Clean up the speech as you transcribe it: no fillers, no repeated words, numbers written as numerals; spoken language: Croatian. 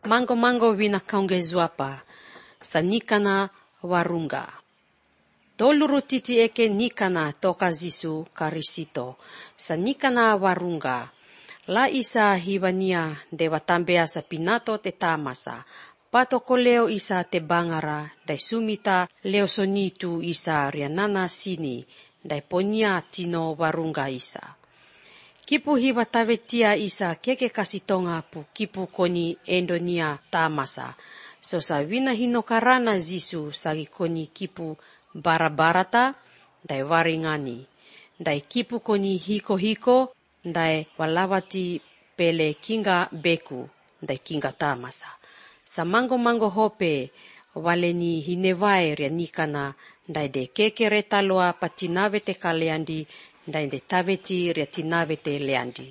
mango wina kaungezuapa, sa nikana warunga. Toluru titi eke nikana toka zisu karisito, sa nikana warunga. La isa hiwania dewatambea sa pinato te tamasa, patoko leo isa te bangara, dai sumita leo sonitu isa rianana sini, dai ponia tino warunga isa. Kipu hiwa tavetia isa keke kasitonga pu kipu koni endonia tamasa. So sa wina hinokarana zisu sagi koni kipu barabarata dai waringani. Dai kipu koni hiko dai walawati pele kinga beku dai kinga tamasa. Sa mango hope waleni hinewai ria nikana dai de keke retaloa patinave te kaleandi dai de taveti ria tinave te leandi.